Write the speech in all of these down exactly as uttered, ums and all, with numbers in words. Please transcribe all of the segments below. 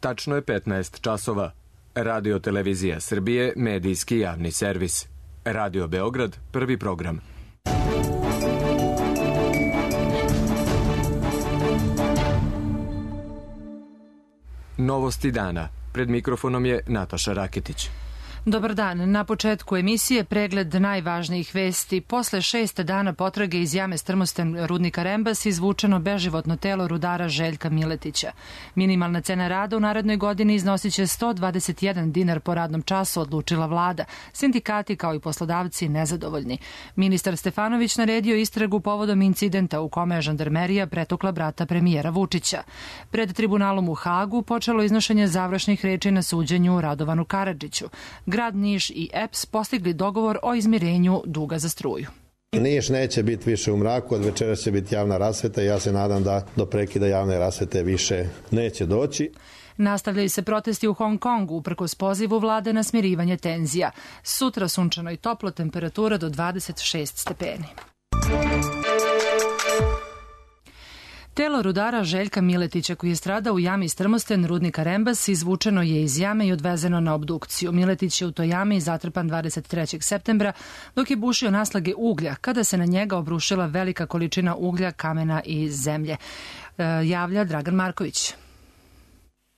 Tačno je petnaest časova. Radio Televizija Srbije, medijski javni servis. Radio Beograd, prvi program. Novosti dana. Pred mikrofonom je Nataša Raketić. Dobar dan. Na početku emisije pregled najvažnijih vesti. Posle šest dana potrage iz jame Strmosten rudnika Rembas izvučeno beživotno telo rudara Željka Miletića. Minimalna cena rada u narednoj godini iznosit će sto dvadeset jedan dinar po radnom času, odlučila vlada. Sindikati kao i poslodavci nezadovoljni. Ministar Stefanović naredio istragu povodom incidenta u kome je žandarmerija pretukla brata premijera Vučića. Pred tribunalom u Hagu počelo iznošenje završnih reči na suđenju Radovanu Karadžiću. Grad Niš i E P S postigli dogovor o izmirenju duga za struju. Niš neće biti više u mraku, od večera će biti javna rasveta i ja se nadam da do prekida javne rasvete više neće doći. Nastavljaju se protesti u Hong Kongu uprkos pozivu vlade na smirivanje tenzija. Sutra sunčano i toplo, temperatura do dvadeset šest stepeni. Telo rudara Željka Miletića, koji je stradao u jami Strmosten rudnika Rembas, izvučeno je iz jame i odvezeno na obdukciju. Miletić je u toj jami zatrpan dvadeset trećeg septembra dok je bušio naslage uglja, kada se na njega obrušila velika količina uglja, kamena i zemlje. E, javlja Dragan Marković.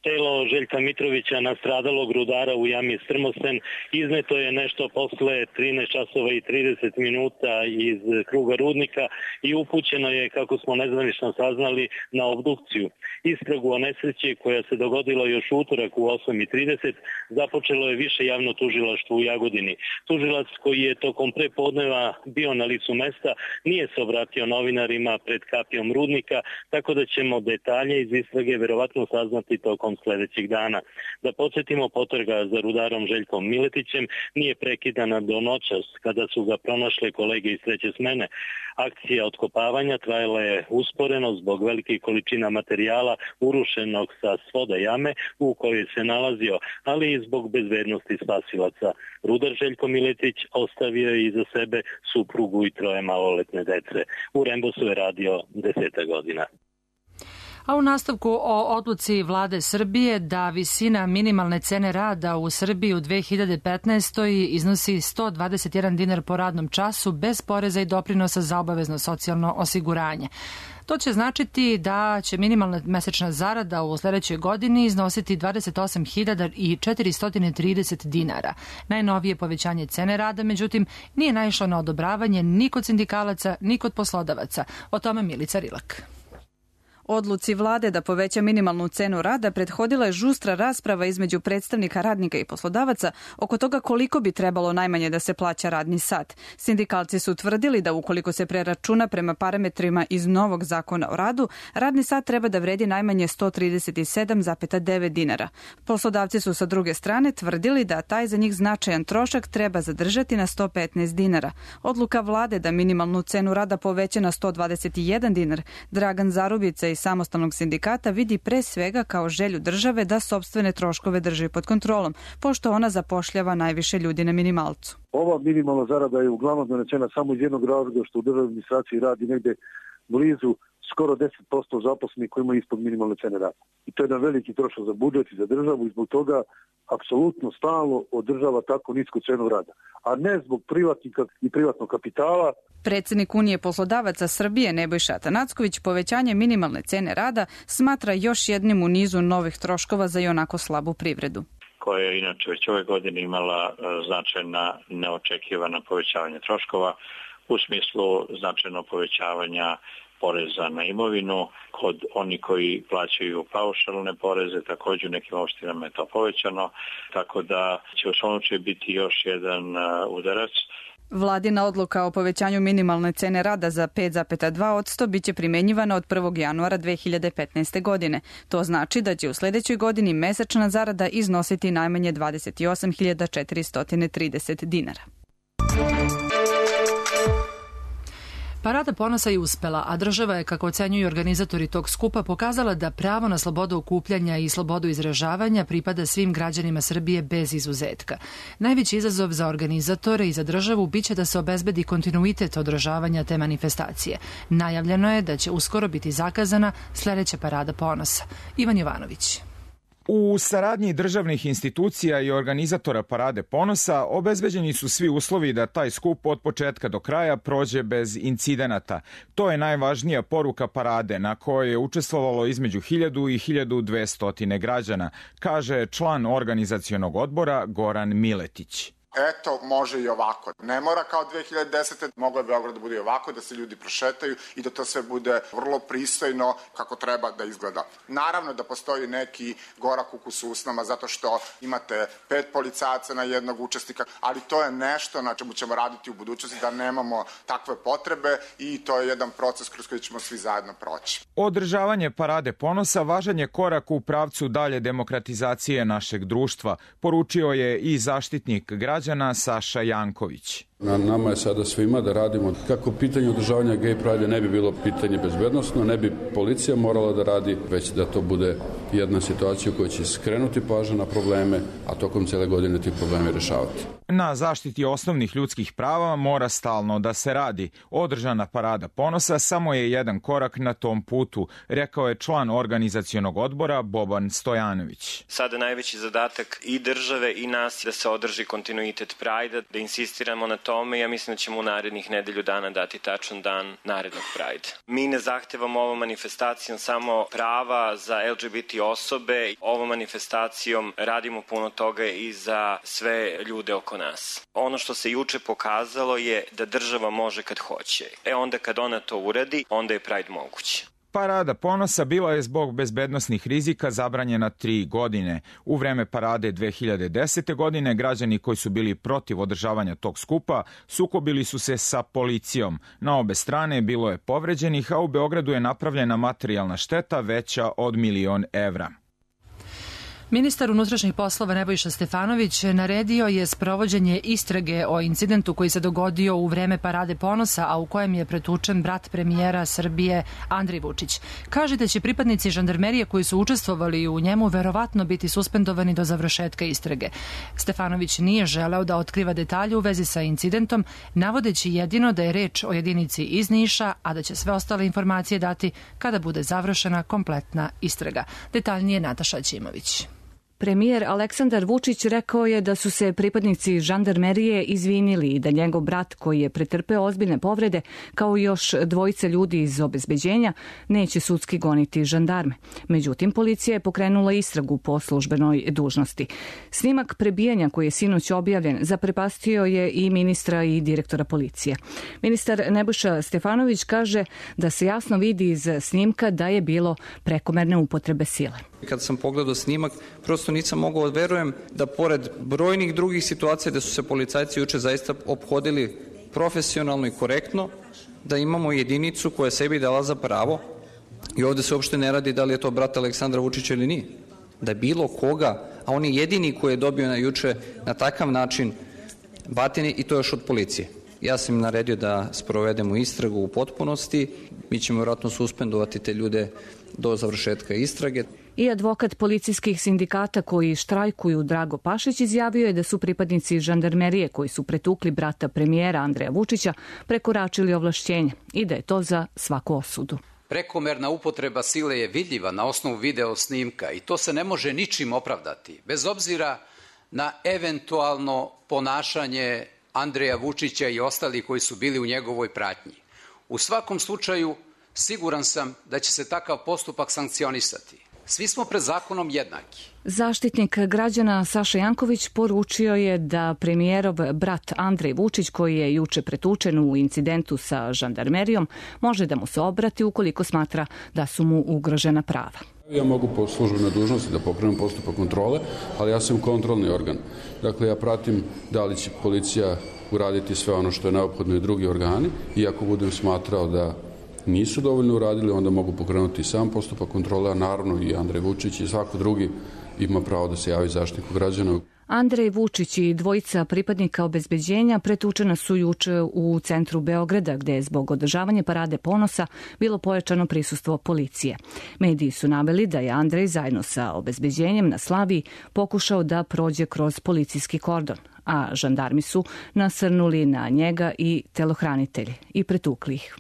Telo Željka Mitrovića, nastradalog rudara u jami Strmosten, izneto je nešto posle trinaest časova i trideset minuta iz kruga rudnika i upućeno je, kako smo nezvanično saznali, na obdukciju. Istragu o nesreći koja se dogodila još utorak u osam i trideset započelo je više javno tužilaštvo u Jagodini. Tužilac, koji je tokom prepodneva bio na licu mesta, nije se obratio novinarima pred kapijom rudnika, tako da ćemo detalje iz istrage verovatno saznati tokom sledećeg dana. Da podsjetimo, potraga za rudarom Željkom Miletićem nije prekidana do noćas, kada su ga pronašle kolege iz treće smene. Akcija otkopavanja trajala je usporeno zbog velikih količina materijala urušenog sa svoda jame u kojoj se nalazio, ali i zbog bezbednosti spasilaca. Rudar Željko Miletić ostavio je iza sebe suprugu i troje maloletne dece. U Rembosu je radio deseta godina. A u nastavku o odluci vlade Srbije da visina minimalne cene rada u Srbiji u dve hiljade petnaestoj iznosi sto dvadeset jedan dinar po radnom času bez poreza i doprinosa za obavezno socijalno osiguranje. To će značiti da će minimalna mesečna zarada u sledećoj godini iznositi dvadeset osam hiljada četiristo trideset dinara. Najnovije povećanje cene rada, međutim, nije naišlo na odobravanje ni kod sindikalaca, ni kod poslodavaca. O tome Milica Rilak. Odluci vlade da poveća minimalnu cenu rada prethodila je žustra rasprava između predstavnika radnika i poslodavaca oko toga koliko bi trebalo najmanje da se plaća radni sat. Sindikalci su tvrdili da ukoliko se preračuna prema parametrima iz novog zakona o radu, radni sat treba da vredi najmanje sto trideset sedam zarez devet dinara. Poslodavci su sa druge strane tvrdili da taj za njih značajan trošak treba zadržati na sto petnaest dinara. Odluka vlade da minimalnu cenu rada poveća na sto dvadeset jedan dinar, Dragan Zarubica iz samostalnog sindikata vidi pre svega kao želju države da sopstvene troškove drži pod kontrolom, pošto ona zapošljava najviše ljudi na minimalcu. Ova minimalna zarada je uglavnom donesena samo iz jednog razloga što u državnoj administraciji radi negde blizu skoro deset posto zaposlenih koji imaju ispod minimalne cene rada. I to je jedan veliki trošak za budžet i za državu i zbog toga apsolutno stalno održava tako nisku cenu rada, a ne zbog privatnika i privatnog kapitala. Predsednik Unije poslodavaca Srbije Nebojša Atanacković povećanje minimalne cene rada smatra još jednim u nizu novih troškova za ionako slabu privredu, koja je inače već ove godine imala značajna neočekivana povećavanja troškova u smislu značajno povećavanja poreza na imovinu. Kod oni koji plaćaju paušalne poreze, također u nekim opštinama je to povećano, tako da će u svom slučaju biti još jedan udarac. Vladina odluka o povećanju minimalne cene rada za pet zarez dva posto biće primenjivana od prvog januara dve hiljade petnaeste. godine. To znači da će u sledećoj godini mesečna zarada iznositi najmanje dvadeset osam hiljada četiristo trideset dinara. Parada ponosa je uspela, a država je, kako ocenjuju organizatori tog skupa, pokazala da pravo na slobodu okupljanja i slobodu izražavanja pripada svim građanima Srbije bez izuzetka. Najveći izazov za organizatore i za državu biće da se obezbedi kontinuitet održavanja te manifestacije. Najavljeno je da će uskoro biti zakazana sledeća Parada ponosa. Ivan Jovanović. U saradnji državnih institucija i organizatora Parade ponosa obezbeđeni su svi uslovi da taj skup od početka do kraja prođe bez incidenata. To je najvažnija poruka parade, na kojoj je učestvovalo između hiljadu i hiljadu dvesta građana, kaže član organizacionog odbora Goran Miletić. Eto, može i ovako. Ne mora kao dve hiljade desete. Moglo je Beograd da bude i ovako, da se ljudi prošetaju i da to sve bude vrlo pristojno kako treba da izgleda. Naravno da postoji neki gorak ukus u usnama zato što imate pet policajaca na jednog učesnika, ali to je nešto na čemu ćemo raditi u budućnosti, da nemamo takve potrebe i to je jedan proces kroz koji ćemo svi zajedno proći. Održavanje Parade ponosa važan je korak u pravcu dalje demokratizacije našeg društva, poručio je i zaštitnik građana Saša Janković. Na nama je sada svima da radimo kako pitanje održavanja gay pride ne bi bilo pitanje bezbednosno, ne bi policija morala da radi, već da to bude jedna situacija u kojoj će skrenuti pažnju na probleme, a tokom cele godine ti problemi rešavati. Na zaštiti osnovnih ljudskih prava mora stalno da se radi. Održana Parada ponosa samo je jedan korak na tom putu, rekao je član organizacionog odbora Boban Stojanović. Sada najveći zadatak i države i nas da se održi kontinuitet Prajda, da insistiramo na tome. Ja mislim da ćemo u narednih nedelju dana dati tačan dan narednog Prajda. Mi ne zahtevamo ovom manifestacijom samo prava za L G B T osobe. Ovom manifestacijom radimo puno toga i za sve ljude oko nas. Ono što se juče pokazalo je da država može kad hoće. E onda kad ona to uradi, onda je Pride moguće. Parada ponosa bila je zbog bezbednosnih rizika zabranjena tri godine. U vreme parade dve hiljade desete. godine građani koji su bili protiv održavanja tog skupa sukobili su se sa policijom. Na obe strane bilo je povređenih, a u Beogradu je napravljena materijalna šteta veća od milion evra. Ministar unutrašnjih poslova Nebojša Stefanović naredio je sprovođenje istrage o incidentu koji se dogodio u vreme Parade ponosa, a u kojem je pretučen brat premijera Srbije Andrej Vučić. Kaže da će pripadnici žandarmerije koji su učestvovali u njemu verovatno biti suspendovani do završetka istrage. Stefanović nije želeo da otkriva detalje u vezi sa incidentom, navodeći jedino da je reč o jedinici iz Niša, a da će sve ostale informacije dati kada bude završena kompletna istraga. Detaljnije Nataša Ćimović. Premijer Aleksandar Vučić rekao je da su se pripadnici žandarmerije izvinili i da njegov brat, koji je pretrpeo ozbiljne povrede, kao i još dvojice ljudi iz obezbeđenja, neće sudski goniti žandarme. Međutim, policija je pokrenula istragu po službenoj dužnosti. Snimak prebijanja koji je sinoć objavljen zaprepastio je i ministra i direktora policije. Ministar Nebojša Stefanović kaže da se jasno vidi iz snimka da je bilo prekomerne upotrebe sile. Kad sam pogledao snimak, prosto nisam mogao da verujem da pored brojnih drugih situacija da su se policajci juče zaista ophodili profesionalno i korektno, da imamo jedinicu koja sebi dala za pravo, i ovde se uopšte ne radi da li je to brat Aleksandra Vučića ili nije, da bilo koga, a on je jedini koji je dobio na juče na takav način batine, i to još od policije. Ja sam im naredio da sprovedemo istragu u potpunosti, mi ćemo vjerojatno suspendovati te ljude do završetka istrage. I advokat policijskih sindikata koji štrajkuju Drago Pašić izjavio je da su pripadnici žandarmerije koji su pretukli brata premijera Andreja Vučića prekoračili ovlašćenje i da je to za svaku osudu. Prekomerna upotreba sile je vidljiva na osnovu video snimka i to se ne može ničim opravdati, bez obzira na eventualno ponašanje Andreja Vučića i ostalih koji su bili u njegovoj pratnji. U svakom slučaju, siguran sam da će se takav postupak sankcionisati. Svi smo pred zakonom jednaki. Zaštitnik građana Saša Janković poručio je da premijerov brat Andrej Vučić, koji je juče pretučen u incidentu sa žandarmerijom, može da mu se obrati ukoliko smatra da su mu ugrožena prava. Ja mogu po službenoj dužnosti da pokrenem postupak kontrole, ali ja sam kontrolni organ. Dakle, ja pratim da li će policija uraditi sve ono što je neophodno i drugi organi, i ako budem smatrao da nisu dovoljno uradili, onda mogu pokrenuti sam postupak kontrole, a naravno i Andrej Vučić i svako drugi ima pravo da se javi zaštitniku građana. Andrej Vučić i dvojica pripadnika obezbeđenja pretučena su juče u centru Beograda, gde je zbog održavanja Parade ponosa bilo pojačano prisustvo policije. Mediji su naveli da je Andrej zajedno sa obezbeđenjem na Slaviji pokušao da prođe kroz policijski kordon, a žandarmi su nasrnuli na njega i telohranitelji i pretukli ih.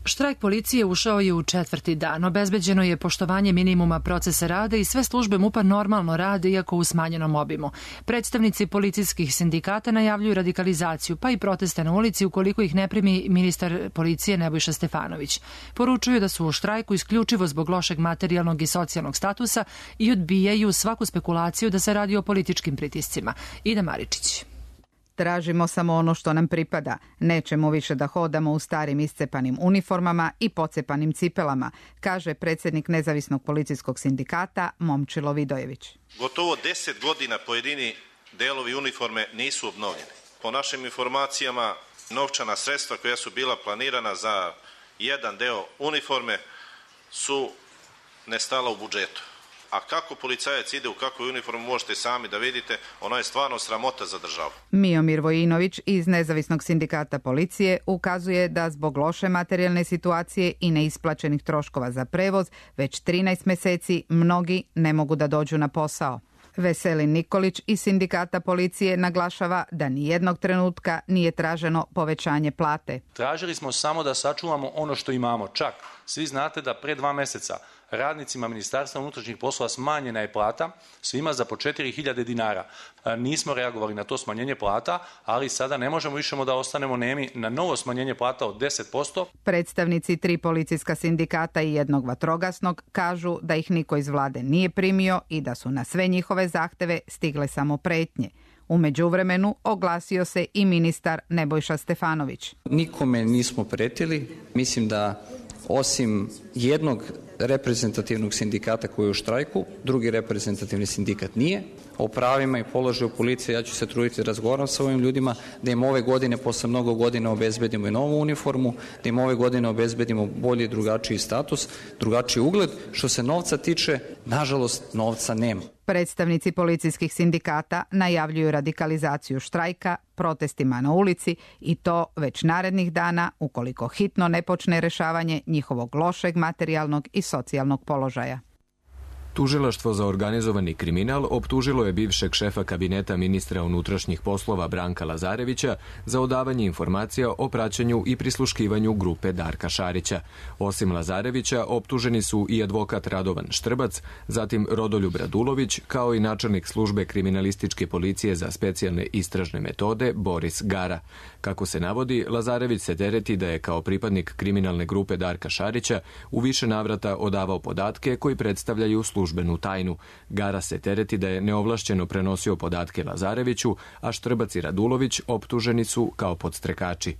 Štrajk policije ušao je u četvrti dan. Obezbeđeno je poštovanje minimuma procesa rada i sve službe MUP-a normalno rade, iako u smanjenom obimu. Predstavnici policijskih sindikata najavljuju radikalizaciju, pa i proteste na ulici ukoliko ih ne primi ministar policije Nebojša Stefanović. Poručuju da su u štrajku isključivo zbog lošeg materijalnog i socijalnog statusa i odbijaju svaku spekulaciju da se radi o političkim pritiscima. Ida Maričić. Tražimo samo ono što nam pripada. Nećemo više da hodamo u starim iscepanim uniformama i pocepanim cipelama, kaže predsjednik Nezavisnog policijskog sindikata Momčilo Vidojević. Gotovo deset godina pojedini delovi uniforme nisu obnovljeni. Po našim informacijama, novčana sredstva koja su bila planirana za jedan deo uniforme su nestala u budžetu. A kako policajac ide u kakvu uniformu možete sami da vidite, ono je stvarno sramota za državu. Miomir Vojinović iz Nezavisnog sindikata policije ukazuje da zbog loše materijalne situacije i neisplaćenih troškova za prevoz već trinaest meseci mnogi ne mogu da dođu na posao. Veselin Nikolić iz sindikata policije naglašava da nijednog trenutka nije traženo povećanje plate. Tražili smo samo da sačuvamo ono što imamo. Čak, svi znate da pre dva meseca radnicima Ministarstva unutrašnjih poslova smanjena je plata svima za po četiri hiljade dinara. Nismo reagovali na to smanjenje plata, ali sada ne možemo više da ostanemo nemi na novo smanjenje plata od deset posto. Predstavnici tri policijska sindikata i jednog vatrogasnog kažu da ih niko iz vlade nije primio i da su na sve njihove zahteve stigle samo pretnje. U međuvremenu oglasio se i ministar Nebojša Stefanović. Nikome nismo pretili. Mislim da osim jednog reprezentativnog sindikata koji je u štrajku, drugi reprezentativni sindikat nije. O pravima i položaju policije ja ću se truditi da razgovaram sa ovim ljudima, da im ove godine, posle mnogo godina, obezbedimo i novu uniformu, da im ove godine obezbedimo bolji i drugačiji status, drugačiji ugled. Što se novca tiče, nažalost, novca nema. Predstavnici policijskih sindikata najavljuju radikalizaciju štrajka, protestima na ulici i to već narednih dana ukoliko hitno ne počne rešavanje njihovog lošeg materijalnog i socijalnog položaja. Tužilaštvo za organizovani kriminal optužilo je bivšeg šefa kabineta ministra unutrašnjih poslova Branka Lazarevića za odavanje informacija o praćenju i prisluškivanju grupe Darka Šarića. Osim Lazarevića, optuženi su i advokat Radovan Štrbac, zatim Rodoljub Radulović, kao i načelnik službe kriminalističke policije za specijalne istražne metode Boris Gara. Kako se navodi, Lazarević se tereti da je kao pripadnik kriminalne grupe Darka Šarića u više navrata odavao podatke koji predstavljaju službenu tajnu. Gara se tereti da je neovlašćeno prenosio podatke Lazareviću, a Štrbac i Radulović optuženi su kao podstrekači.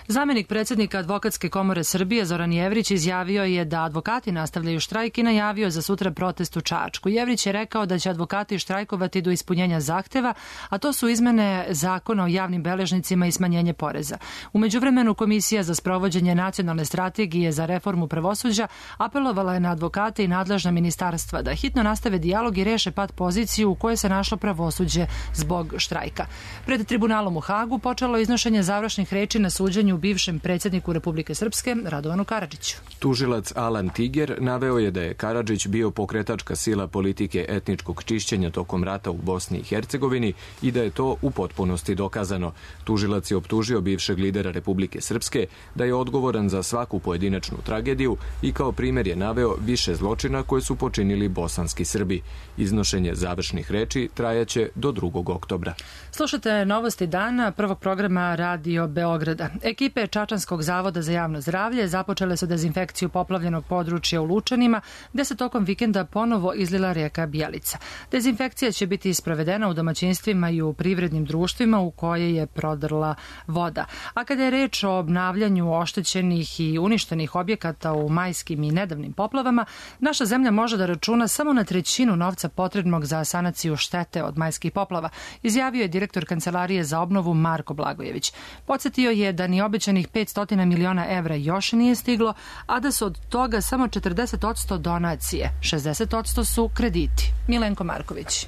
Zamenik predsjednika Advokatske komore Srbije Zoran Jevrić izjavio je da advokati nastavljaju štrajk i najavio za sutra protest u Čačku. Jevrić je rekao da će advokati štrajkovati do ispunjenja zahteva, a to su izmene zakona o javnim beležnicima i smanjenje poreza. U međuvremenu Komisija za sprovođenje nacionalne strategije za reformu pravosuđa apelovala je na advokate i nadležna ministarstva da hitno nastave dijalog i reše pad poziciju u kojoj se našlo pravosuđe zbog štrajka. Pred tribunalom u Hagu počelo iznošenje završnih reči na suđenju bivšem predsjedniku Republike Srpske Radovanu Karadžiću. Tužilac Alan Tiger naveo je da je Karadžić bio pokretačka sila politike etničkog čišćenja tokom rata u Bosni i Hercegovini i da je to u potpunosti dokazano. Tužilac je optužio bivšeg lidera Republike Srpske da je odgovoran za svaku pojedinačnu tragediju i kao primjer je naveo više zločina koje su počinili bosanski Srbi. Iznošenje završnih reči trajaće do drugog oktobra. Slušate novosti dana prvog programa Radio Beograda. Ekipe Čačanskog zavoda za javno zdravlje započele su dezinfekciju poplavljenog područja u Lučanima, gde se tokom vikenda ponovo izlila rijeka Bjelica. Dezinfekcija će biti sprovedena u domaćinstvima i u privrednim društvima u koje je prodrla voda. A kada je reč o obnavljanju oštećenih i uništenih objekata u majskim i nedavnim poplavama, naša zemlja može da računa samo na trećinu novca potrebnog za sanaciju štete od majskih poplava, izjavio je direktor Kancelarije za obnovu Marko Blagojević. Podsjetio je da ni obećanih petsto miliona evra još nije stiglo, a da su od toga samo četrdeset posto donacije, šezdeset posto su krediti. Milenko Marković.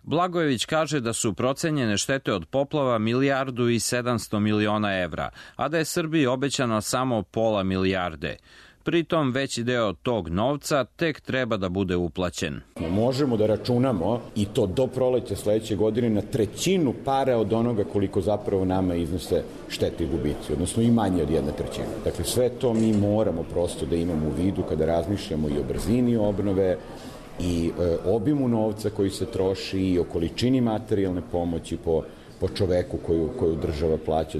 Blagojević kaže da su procenjene štete od poplava milijardu i sedamsto miliona evra, a da je Srbiji obećano samo pola milijarde. Pritom veći deo tog novca tek treba da bude uplaćen. Možemo da računamo i to do proleća sledeće godine na trećinu para od onoga koliko zapravo nama iznose štete i gubici, odnosno i manje od jedne trećine. Dakle, sve to mi moramo prosto da imamo u vidu kada razmišljamo i o brzini obnove i e, obimu novca koji se troši i o količini materijalne pomoći po, po čoveku koju, koju država plaća.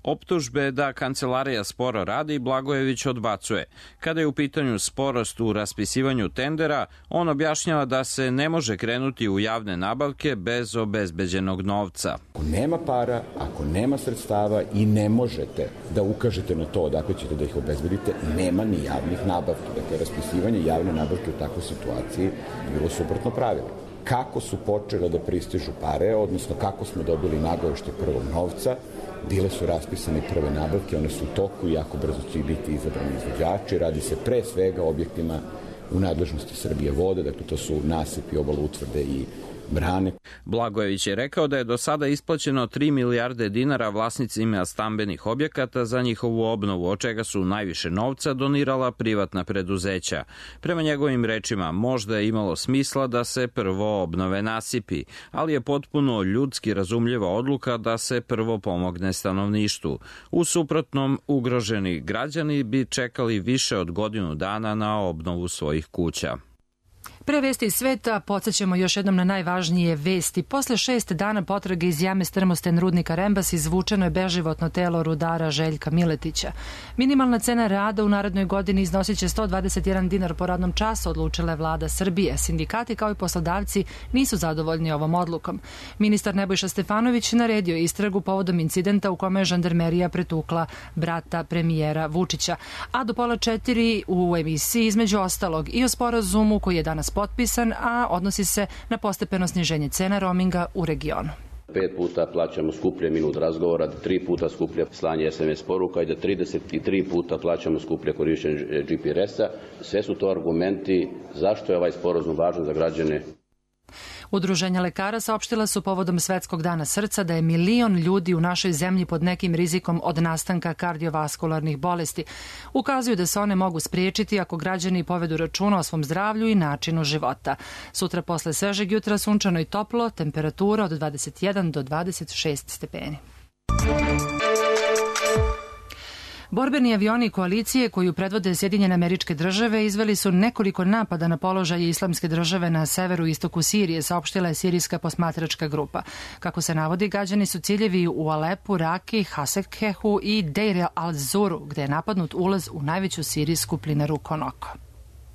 Optužbe da kancelarija sporo radi Blagojević odbacuje. Kada je u pitanju sporost u raspisivanju tendera, on objašnjava da se ne može krenuti u javne nabavke bez obezbeđenog novca. Ako nema para, ako nema sredstava i ne možete da ukažete na to odakle ćete da ih obezbedite, nema ni javnih nabavki. Dakle, raspisivanje javne nabavke u takvoj situaciji bilo suprotno pravilo. Kako su počele da pristižu pare, odnosno kako smo dobili nagovešte prvog novca, bile su raspisane prve nabavke, one su u toku i jako brzo će biti izabrani izvođači. Radi se pre svega o objektima u nadležnosti Srbije vode, dakle to su nasipi, obaloutvrde i brane. Blagojević je rekao da je do sada isplaćeno tri milijarde dinara vlasnicima stambenih objekata za njihovu obnovu, od čega su najviše novca donirala privatna preduzeća. Prema njegovim rečima, možda je imalo smisla da se prvo obnove nasipi, ali je potpuno ljudski razumljiva odluka da se prvo pomogne stanovništvu. U suprotnom, ugroženi građani bi čekali više od godinu dana na obnovu svojih kuća. Pre vesti iz sveta podsjećamo još jednom na najvažnije vesti. Posle šest dana potrage iz jame Strmosten rudnika Rembas izvučeno je beživotno telo rudara Željka Miletića. Minimalna cena rada u narednoj godini iznosit će sto dvadeset jedan dinar po radnom času, odlučila je vlada Srbije. Sindikati kao i poslodavci nisu zadovoljni ovom odlukom. Ministar Nebojša Stefanović naredio istragu povodom incidenta u kome je žandarmerija pretukla brata premijera Vučića. A do pola četiri u emisiji između ostalog i o sporazumu koji je danas potpisan, a odnosi se na postepeno sniženje cena roaminga u regionu. Pet puta plaćamo skuplje minut razgovora, tri puta skuplje slanje es em es poruka i da trideset tri puta plaćamo skuplje korišćenje G P R S-a. Sve su to argumenti zašto je ovaj sporazum važan za građane. Udruženja lekara saopštila su povodom Svetskog dana srca da je milion ljudi u našoj zemlji pod nekim rizikom od nastanka kardiovaskularnih bolesti. Ukazuju da se one mogu spriječiti ako građani povedu računa o svom zdravlju i načinu života. Sutra posle svežeg jutra sunčano i toplo, temperatura od dvadeset jedan do dvadeset šest stepeni. Borbeni avioni koalicije koju predvode Sjedinjene Američke Države izveli su nekoliko napada na položaje Islamske države na severu i istoku Sirije, saopštila je sirijska posmatračka grupa. Kako se navodi, gađani su ciljevi u Alepu, Raki, Hasekhehu i Deir al-Zuru, gde je napadnut ulaz u najveću sirijsku plinaru Konoko.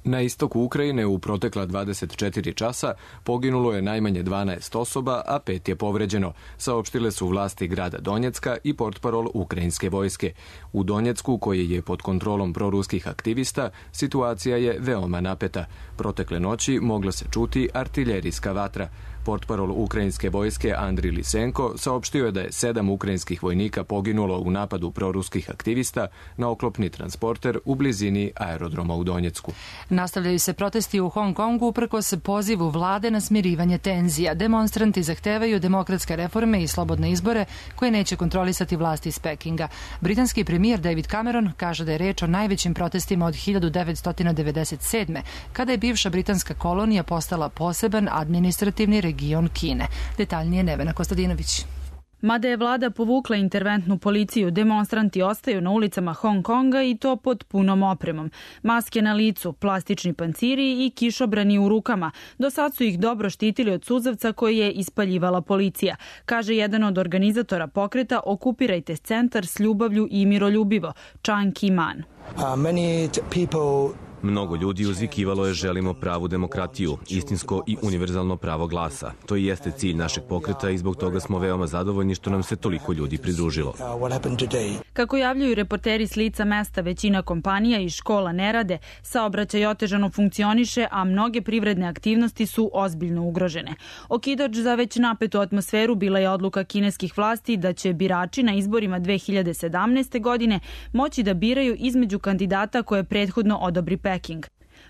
Na istoku Ukrajine u protekla dvadeset četiri časa poginulo je najmanje dvanaest osoba, a pet je povređeno, saopštile su vlasti grada Donjecka i portparol ukrajinske vojske. U Donjecku, koji je pod kontrolom proruskih aktivista, situacija je veoma napeta. Protekle noći mogla se čuti artiljerijska vatra. Portparol ukrajinske vojske Andri Lisenko saopštio je da je sedam ukrajinskih vojnika poginulo u napadu proruskih aktivista na oklopni transporter u blizini aerodroma u Donjecku. Nastavljaju se protesti u Hong Kongu uprkos pozivu vlade na smirivanje tenzija. Demonstranti zahtevaju demokratske reforme i slobodne izbore koje neće kontrolisati vlasti iz Pekinga. Britanski premijer David Cameron kaže da je reč o najvećim protestima od hiljadu devetsto devedeset sedme. kada je bivša britanska kolonija postala poseban administrativni region Kine. Detaljnije Nevena Kostadinović. Mada je vlada povukla interventnu policiju, demonstranti ostaju na ulicama Hong Konga i to pod punom opremom. Maske na licu, plastični panciri i kišobrani u rukama. Do sad su ih dobro štitili od suzavca koji je ispaljivala policija. Kaže jedan od organizatora pokreta Okupirajte centar s ljubavlju i miroljubivo, Chang Ki-man. Uh, many people Mnogo ljudi uzvikivalo je želimo pravu demokratiju, istinsko i univerzalno pravo glasa. To i jeste cilj našeg pokreta i zbog toga smo veoma zadovoljni što nam se toliko ljudi pridružilo. Kako javljaju reporteri s lica mesta, većina kompanija i škola ne rade, saobraćaj otežano funkcioniše, a mnoge privredne aktivnosti su ozbiljno ugrožene. Okidač za već napetu atmosferu bila je odluka kineskih vlasti da će birači na izborima dve hiljade sedamnaeste. godine moći da biraju između kandidata koje prethodno odobri Peking.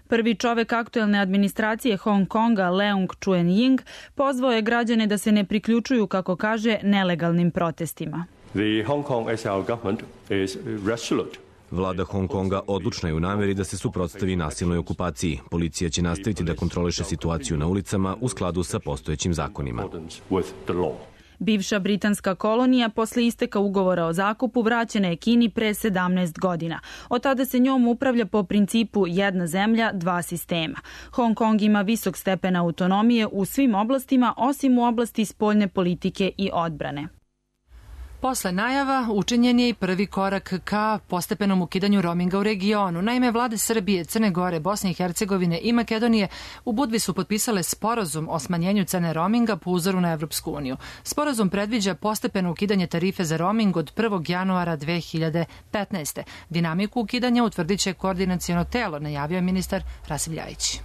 Prvi čovek aktuelne administracije Hong Konga, Leung Chuen-ying, pozvao je građane da se ne priključuju, kako kaže, nelegalnim protestima. The Hong Kong S A R government is resolute Vlada Hong Konga odlučna je u nameri da se suprotstavi nasilnoj okupaciji. Policija će nastaviti da kontroliše situaciju na ulicama u skladu sa postojećim zakonima. Bivša britanska kolonija posle isteka ugovora o zakupu vraćena je Kini pre sedamnaest godina. Od tada se njom upravlja po principu jedna zemlja, dva sistema. Hong Kong ima visok stepen autonomije u svim oblastima, osim u oblasti spoljne politike i odbrane. Posle najava učinjen je i prvi korak ka postepenom ukidanju roaminga u regionu. Naime, vlade Srbije, Crne Gore, Bosne i Hercegovine i Makedonije u Budvi su potpisale sporazum o smanjenju cene roaminga po uzoru na Evropsku uniju. Sporazum predviđa postepeno ukidanje tarife za roaming od prvog januara dve hiljade petnaeste. Dinamiku ukidanja utvrdit će koordinaciono telo, najavio je ministar Rasim Ljajić.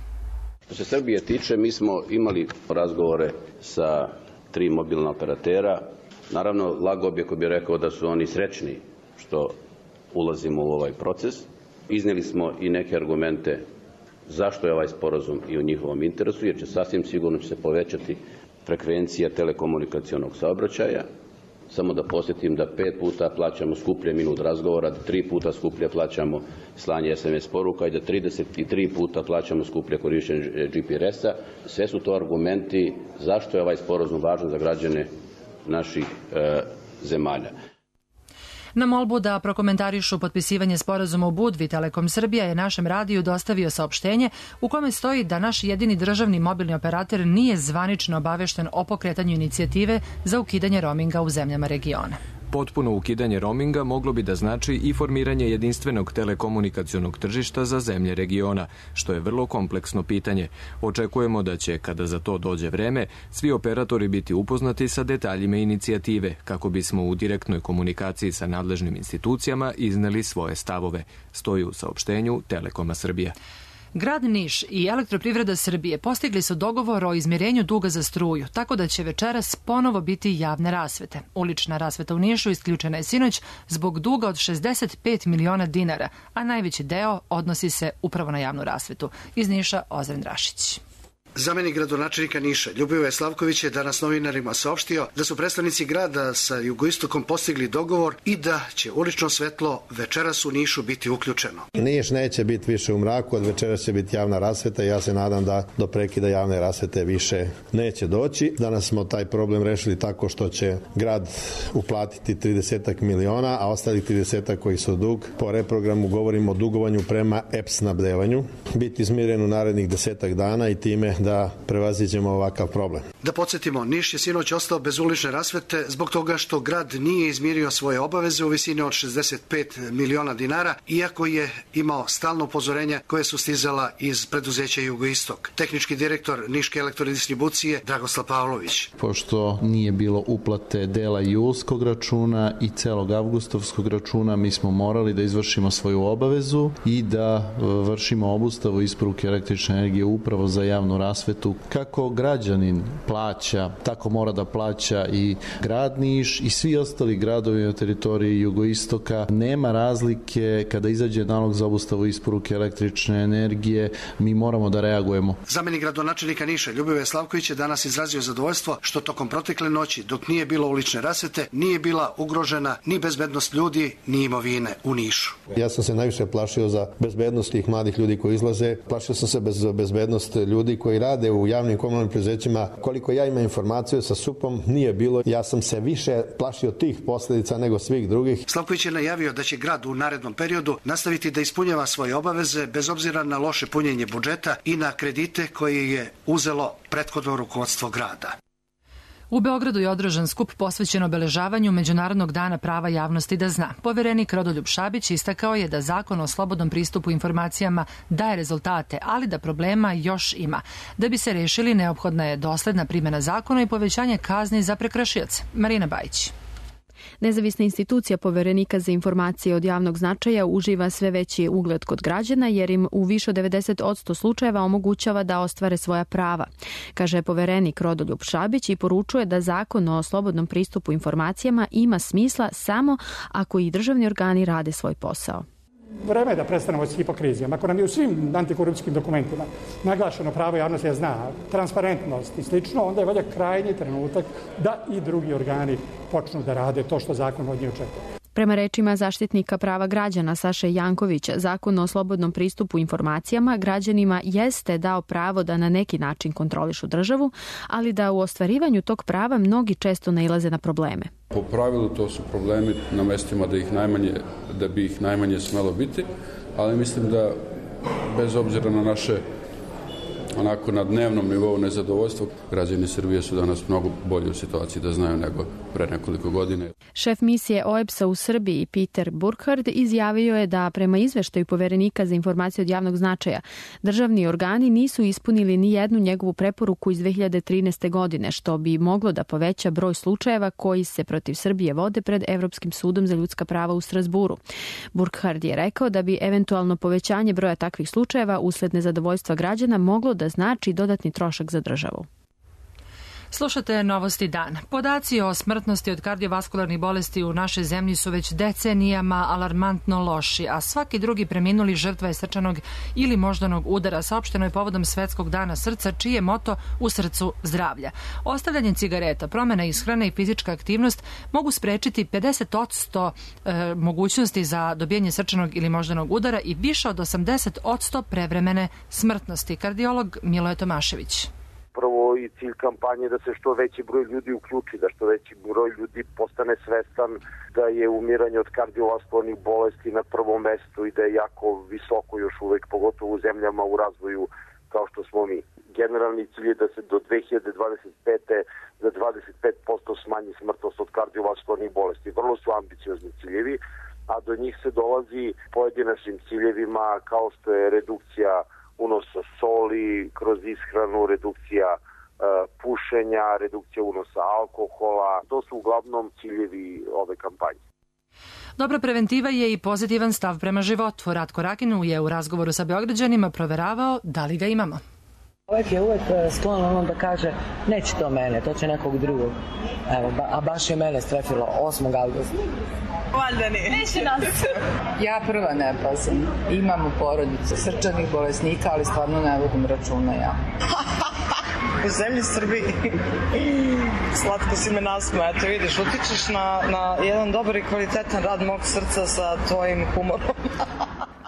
Što se Srbije tiče, mi smo imali razgovore sa tri mobilna operatera. Naravno, lago bi ako bi rekao da su oni srećni što ulazimo u ovaj proces. Iznijeli smo i neke argumente zašto je ovaj sporazum i u njihovom interesu, jer će sasvim sigurno će se povećati frekvencija telekomunikacionog saobraćaja. Samo da posjetim da pet puta plaćamo skuplje minut razgovora, da tri puta skuplje plaćamo slanje es em es poruka i da trideset tri puta plaćamo skuplje korištenje G P R S-a. Sve su to argumenti zašto je ovaj sporazum važan za građane naših e, zemalja. Na molbu da prokomentarišu potpisivanje sporazuma u Budvi, Telekom Srbija je našem radiju dostavio saopštenje u kome stoji da naš jedini državni mobilni operator nije zvanično obavešten o pokretanju inicijative za ukidanje roaminga u zemljama regiona. Potpuno ukidanje roaminga moglo bi da znači i formiranje jedinstvenog telekomunikacionog tržišta za zemlje regiona, što je vrlo kompleksno pitanje. Očekujemo da će, kada za to dođe vreme, svi operatori biti upoznati sa detaljima inicijative, kako bismo u direktnoj komunikaciji sa nadležnim institucijama izneli svoje stavove, stoji u saopštenju Telekoma Srbija. Grad Niš i Elektroprivreda Srbije postigli su dogovor o izmirenju duga za struju, tako da će večeras ponovo biti javne rasvete. Ulična rasveta u Nišu isključena je sinoć zbog duga od šezdeset pet miliona dinara, a najveći deo odnosi se upravo na javnu rasvetu. Iz Niša Ozren Rašić. Zamenik gradonačelnika Niša, Ljubivoje Slavković, je danas novinarima saopštio da su predstavnici grada sa jugoistokom postigli dogovor i da će ulično svetlo večeras u Nišu biti uključeno. Niš neće biti više u mraku, od večeras će biti javna rasveta i ja se nadam da do prekida javne rasvete više neće doći. Danas smo taj problem rešili tako što će grad uplatiti trideset miliona, a ostali trideset koji su dug. Po reprogramu govorimo o dugovanju prema E P S snabdevanju. Biti izmiren u narednih desetak dana i time da prevaziđemo ovakav problem. Da podsjetimo, Niš je sinoć ostao bez ulične rasvete zbog toga što grad nije izmirio svoje obaveze u visini od šezdeset pet miliona dinara, iako je imao stalno upozorenja koje su stizala iz preduzeća Jugoistok. Tehnički direktor Niške elektrodistribucije Dragoslav Pavlović. Pošto nije bilo uplate dela julskog računa i celog avgustovskog računa, mi smo morali da izvršimo svoju obavezu i da vršimo obustavu isporuke električne energije upravo za javnu rasvetu. Kako građanin plaća, tako mora da plaća i grad Niš i svi ostali gradovi na teritoriji jugoistoka. Nema razlike kada izađe nalog za obustavu isporuke električne energije, mi moramo da reagujemo. Zamenik gradonačelnika Niša, Ljubivoje Slavković, je danas izrazio zadovoljstvo što tokom protekle noći, dok nije bilo ulične rasvete, nije bila ugrožena ni bezbednost ljudi, ni imovine u Nišu. Ja sam se najviše plašio za bezbednost tih mladih ljudi koji izlaze. Plašio sam se bez bezbednost ljudi koji rade u javnim komunalnim preduzećima. Koliko ja imam informaciju sa S U P-om, nije bilo. Ja sam se više plašio tih posljedica nego svih drugih. Slavković je najavio da će grad u narednom periodu nastaviti da ispunjava svoje obaveze bez obzira na loše punjenje budžeta i na kredite koje je uzelo prethodno rukovodstvo grada. U Beogradu je održan skup posvećen obeležavanju Međunarodnog dana prava javnosti da zna. Poverenik Rodoljub Šabić istakao je da zakon o slobodnom pristupu informacijama daje rezultate, ali da problema još ima. Da bi se rešili, neophodna je dosledna primjena zakona i povećanje kazni za prekršioce. Marina Bajić. Nezavisna institucija Poverenika za informacije od javnog značaja uživa sve veći ugled kod građana jer im u više od devedeset posto slučajeva omogućava da ostvare svoja prava, kaže poverenik Rodoljub Šabić i poručuje da zakon o slobodnom pristupu informacijama ima smisla samo ako i državni organi rade svoj posao. Vreme je da prestanemo s hipokrizijom. Ako nam je u svim antikorupcijskim dokumentima naglašeno pravo javnosti da zna, transparentnost i slično, onda je valjda krajnji trenutak da i drugi organi počnu da rade to što zakon od njih očekuje. Prema rečima zaštitnika prava građana Saše Jankovića, Zakon o slobodnom pristupu informacijama građanima jeste dao pravo da na neki način kontrolišu državu, ali da u ostvarivanju tog prava mnogi često nailaze na probleme. Po pravilu to su problemi na mestima da, ih najmanje, da bi ih najmanje smelo biti, ali mislim da bez obzira na naše onako na dnevnom nivou nezadovoljstva, građani Srbije su danas mnogo bolje u situaciji da znaju nego pre nekoliko godine. Šef misije O E B S-a u Srbiji Peter Burkhardt izjavio je da prema izveštaju Poverenika za informacije od javnog značaja državni organi nisu ispunili ni jednu njegovu preporuku iz dve hiljade trinaeste. godine, što bi moglo da poveća broj slučajeva koji se protiv Srbije vode pred Evropskim sudom za ljudska prava u Strazburu. Burkhardt je rekao da bi eventualno povećanje broja takvih slučajeva usled nezadovoljstva građana moglo da znači dodatni trošak za državu. Slušate Novosti dan. Podaci o smrtnosti od kardiovaskularnih bolesti u našoj zemlji su već decenijama alarmantno loši, a svaki drugi preminuli žrtva je srčanog ili moždanog udara. Saopšteno je povodom Svetskog dana srca, čiji je moto u srcu zdravlja. Ostavljanje cigareta, promjena ishrane i fizička aktivnost mogu sprečiti pedeset posto e, mogućnosti za dobijanje srčanog ili moždanog udara i više od osamdeset posto prevremene smrtnosti. Kardiolog Miloje Tomašević. Prvo i cilj kampanje da se što veći broj ljudi uključi, da što veći broj ljudi postane svestan da je umiranje od kardiovaskularnih bolesti na prvom mestu i da je jako visoko još uvek, pogotovo u zemljama u razvoju kao što smo mi. Generalni cilj je da se do dve hiljade dvadeset pete. za dvadeset pet posto smanji smrtnost od kardiovaskularnih bolesti. Vrlo su ambiciozni ciljevi, a do njih se dolazi pojedinačnim ciljevima kao što je redukcija unosa soli kroz ishranu, redukcija e, pušenja, redukcija unosa alkohola. To su uglavnom ciljevi ove kampanje. Dobra preventiva je i pozitivan stav prema životu. Ratko Rakinu je u razgovoru sa Beograđanima proveravao da li ga imamo. Čovjek je uvek sklon onom da kaže neće to mene, to će nekog drugog. Evo, ba, a baš je mene strefilo osmog avgusta. Valjda ne. Neće nas. Ja prva ne pazim. Imam u porodicu srčanih bolesnika, ali stvarno ne vodim računa ja. U zemlji Srbiji. Slatko si me nasmeo. Eto vidiš, utičeš na, na jedan dobar i kvalitetan rad mog srca sa tvojim humorom.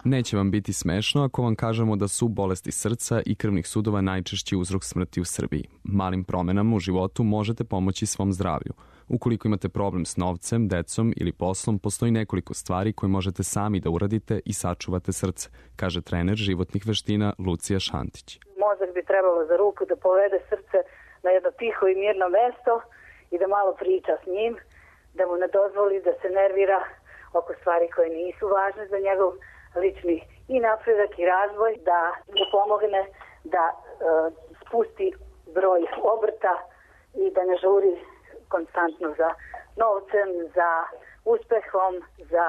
Neće vam biti smešno ako vam kažemo da su bolesti srca i krvnih sudova najčešći uzrok smrti u Srbiji. Malim promenama u životu možete pomoći svom zdravlju. Ukoliko imate problem s novcem, decom ili poslom, postoji nekoliko stvari koje možete sami da uradite i sačuvate srce, kaže trener životnih veština Lucija Šantić. Mozak bi trebalo za ruku da povede srce na jedno tiho i mirno mesto i da malo priča s njim, da mu ne dozvoli da se nervira oko stvari koje nisu važne za njegov lični i napredak i razvoj, da mu pomogne da e, spusti broj obrta i da ne žuri konstantno za novcem, za uspehom, za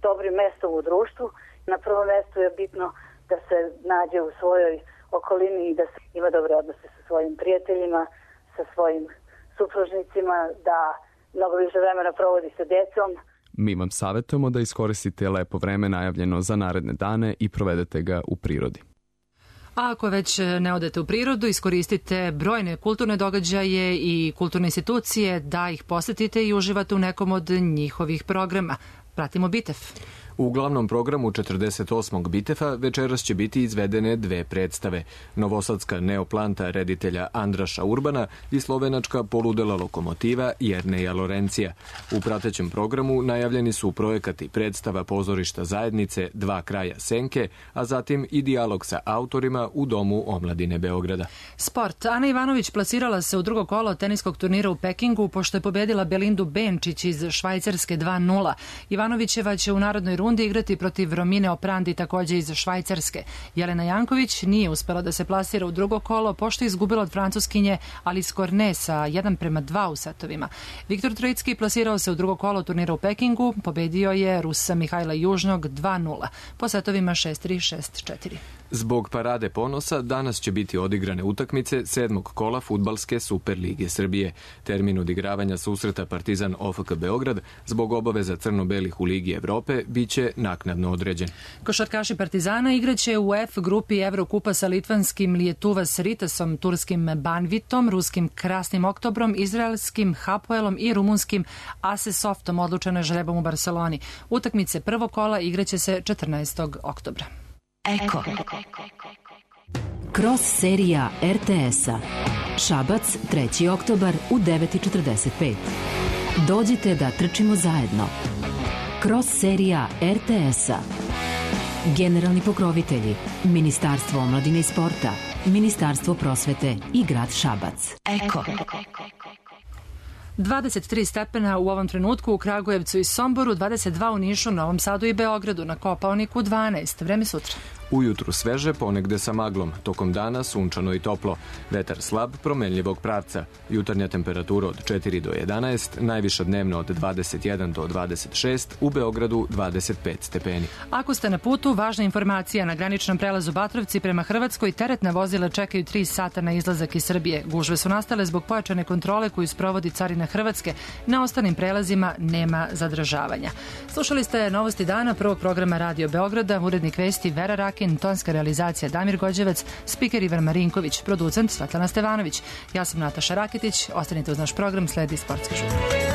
dobrim mestom u društvu. Na prvom mestu je bitno da se nađe u svojoj okolini i da se ima dobre odnose sa svojim prijateljima, sa svojim supružnicima, da mnogo više vremena provodi sa decom. Mi vam savjetujemo da iskoristite lepo vreme najavljeno za naredne dane i provedete ga u prirodi. A ako već ne odete u prirodu, iskoristite brojne kulturne događaje i kulturne institucije da ih posetite i uživate u nekom od njihovih programa. Pratimo Bitev. U glavnom programu četrdeset osmog Bitefa večeras će biti izvedene dve predstave. Novosadska neoplanta reditelja Andraša Urbana i slovenačka poludela lokomotiva Jerneja Lorencija. U pratećem programu najavljeni su projekat i predstava pozorišta zajednice Dva kraja senke, a zatim i dijalog sa autorima u Domu omladine Beograda. Sport. Ana Ivanović plasirala se u drugo kolo teniskog turnira u Pekingu pošto je pobedila Belindu Benčić iz Švajcarske dva nula. Ivanovićeva će u narodnoj rundi igrati protiv Romine Oprandi takođe iz Švajcarske. Jelena Janković nije uspela da se plasira u drugo kolo pošto je izgubila od Francuskinje Alice Cornet sa jedan prema dva u setovima. Viktor Trojicki plasirao se u drugo kolo turnira u Pekingu, pobedio je Rusa Mihajla Južnog dva nula po setovima šest tri šest četiri. Zbog parade ponosa danas će biti odigrane utakmice sedmog kola Fudbalske Superlige Srbije. Termin odigravanja susreta Partizan O F K Beograd zbog obaveza crno-belih u Ligi Evrope biće biće naknadno određen. Košarkaši Partizana igraće u F grupi Evrokupa sa litvanskim Lietuvas Ritasom, turskim Banvitom, ruskim Krasnim Oktobrom, izraelskim Hapoelom i rumunskim Asesoftom, odlučeno je žrebom u Barceloni. Utakmice prvog kola igraće se četrnaestog oktobra. Eko. Cross serija er te es-a. Šabac, treći oktobar u devet četrdeset pet. Dođite da trčimo zajedno. Cross serija er te es-a. Generalni pokrovitelji: Ministarstvo omladine i sporta, Ministarstvo prosvete i grad Šabac. Eko. dvadeset tri stepena u ovom trenutku u Kragujevcu i Somboru, dvadeset dva u Nišu, Novom Sadu i Beogradu, na Kopaoniku dvanaest. Vreme sutra. Ujutru sveže, ponegde sa maglom. Tokom dana sunčano i toplo. Vetar slab, promenljivog pravca. Jutarnja temperatura od četiri do jedanaest, najviša dnevno od dvadeset jedan do dvadeset šest, u Beogradu dvadeset pet stepeni. Ako ste na putu, važna informacija: na graničnom prelazu Batrovci prema Hrvatskoj teretna vozila čekaju tri sata na izlazak iz Srbije. Gužve su nastale zbog pojačane kontrole koju sprovodi Carina Hrvatske. Na ostalim prelazima nema zadržavanja. Slušali ste novosti dana prvog programa Radio Beograda, urednik vesti Vera Rakin, tonska realizacija Damir Gođevac, spiker Ivan Marinković, producent Svetlana Stevanović. Ja sam Nataša Raketić, ostanite uz naš program, sledi Sportski žurnak.